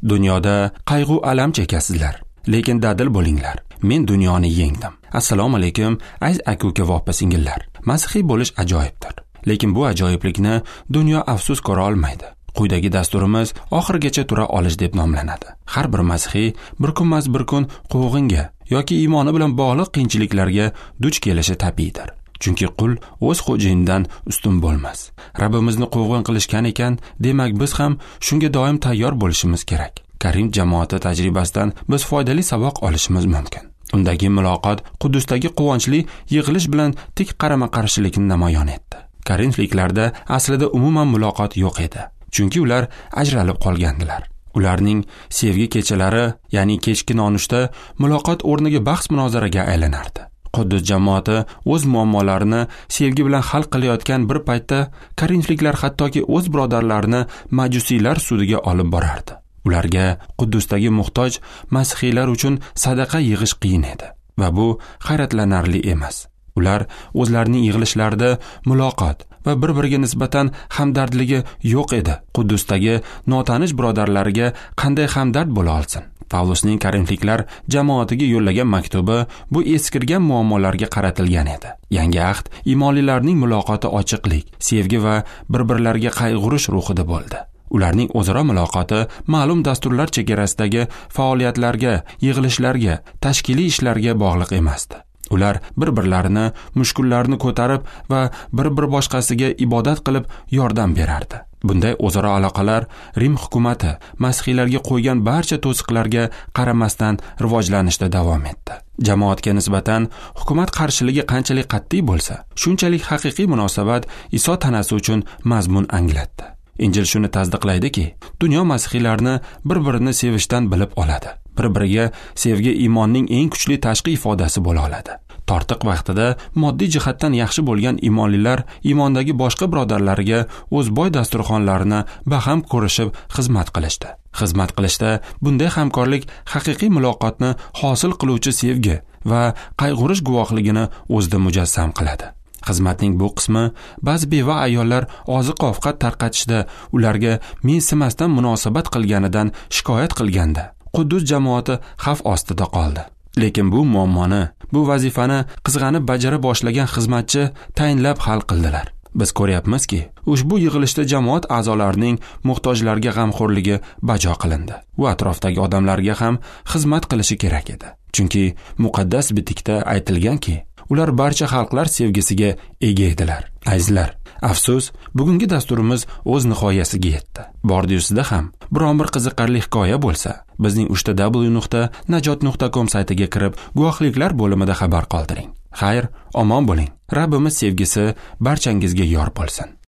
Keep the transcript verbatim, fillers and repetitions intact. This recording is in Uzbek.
Dunyoda qayg'u alam chekasizlar, lekin dadil bo'linglar. Men dunyoni yengdim. Assalomu alaykum, aziz aka-uka va opa-singillar. Masihiy bo'lish ajoyibdir. Lekin bu ajoyiblikni dunyo afsus ko'ra olmaydi. Quyidagi dasturimiz oxirigacha tura olish deb nomlanadi. Har bir masihiy bir kunmas bir kun quvg'inga yoki iymoni bilan bog'liq qiyinchiliklarga duch kelishi tabiiydir. Chunki qul o'z xo'jayinidan ustun bo'lmas. Rabbimizni quvg'in qilishgan ekan, demak biz ham shunga doim tayyor bo'lishimiz kerak. Korint jamoati tajribasidan biz foydali saboq olishimiz mumkin. Undagi muloqot Quddusdagi quvonchli yig'ilish bilan tik qarama-qarshilikni namoyon etdi. Korinfliklarda aslida umuman muloqot yo'q edi, chunki ular ajralib qolgandilar. Ularning sevgi kechalari, ya'ni kechki nonushta muloqot o'rniga bahs munozaraga aylanardi. Quddus jamoati o'z muammolarini sevgi bilan hal qilayotgan bir paytda korinfliklar hattoki o'z birodarlarini majusiylar sudiga olib borardi. Ularga Quddusdagi muhtoj masihiylar uchun sadaqa yig'ish qiyin edi va bu hayratlanarli emas. Ular o'zlarining yig'ilishlarida muloqot va bir-biriga nisbatan hamdardligi yo'q edi. Quddusdagi notanish birodarlariga qanday hamdard bo'la olsin? Pavlusning korinfliklar jamoatiga yo'llagan maktubi bu eskirgan muammolarga qaratilgan edi. Yangi ahd iymonlilarning muloqoti ochiqlik, sevgi va bir-birlariga qayg'urish ruhida bo'ldi. Ularning o'zaro muloqoti ma'lum dasturlar chegarasidagi faoliyatlarga, yig'ilishlarga, tashkiliy ishlarga bog'liq emasdi. Ular bir-birlarini, mushkullarni ko'tarib va bir-bir boshqasiga ibodat qilib yordam berardi. Bunday o'zaro aloqalar Rim hukumati masihiylarga qo'ygan barcha to'siqlarga qaramasdan rivojlanishda davom etdi. Jamoatga nisbatan hukumat qarshiligi qanchalik qat'iy bo'lsa, shunchalik haqiqiy munosabat Iso tanasi uchun mazmun anglatdi. Injil shuni tasdiqlaydiki, dunyo masihiylarni bir-birini sevishdan bilib oladi. Bir-biriga sevgi iymonning eng kuchli tashqi ifodasi bo'la oladi. Tortiq vaqtida moddiy jihatdan yaxshi bo'lgan iymonlilar iymondagi boshqa birodarlariga o'z boy dasturxonlarini baham ko'rishib xizmat qilishdi. Xizmat qilishda bunday hamkorlik haqiqiy muloqotni hosil qiluvchi sevgi va qayg'urish guvohligini o'zida mujassam qiladi. Xizmatning bu qismi ba'zi beva ayollar oziq-ovqat tarqatishda ularga mensimasdan munosabat qilganidan shikoyat qilganda Quddus jamoati xavf ostida qoldi. Lekin bu muammoni, bu vazifani qizg'anib bajara boshlagan xizmatchi tayinlab hal qildilar. Biz ko'ryapmizki, ushbu yig'ilishda jamoat a'zolarining muhtojlarga g'amxo'rligi bajo qilindi. U atrofdagi odamlarga ham xizmat qilishi kerak edi. Chunki muqaddas bitikda aytilganki, ular barcha xalqlar sevgisiga ega edilar. Azizlar, afsus, bugungi dasturimiz o'z nihoyasiga yetdi. Bordi-yusida ham biron bir qiziqarli hikoya bo'lsa, bizning uchta w nuqta najot nuqta com saytiga kirib, guvohliklar bo'limida xabar qoldiring. Xayr, omon bo'ling. Rabbimiz sevgisi barchangizga yor bo'lsin.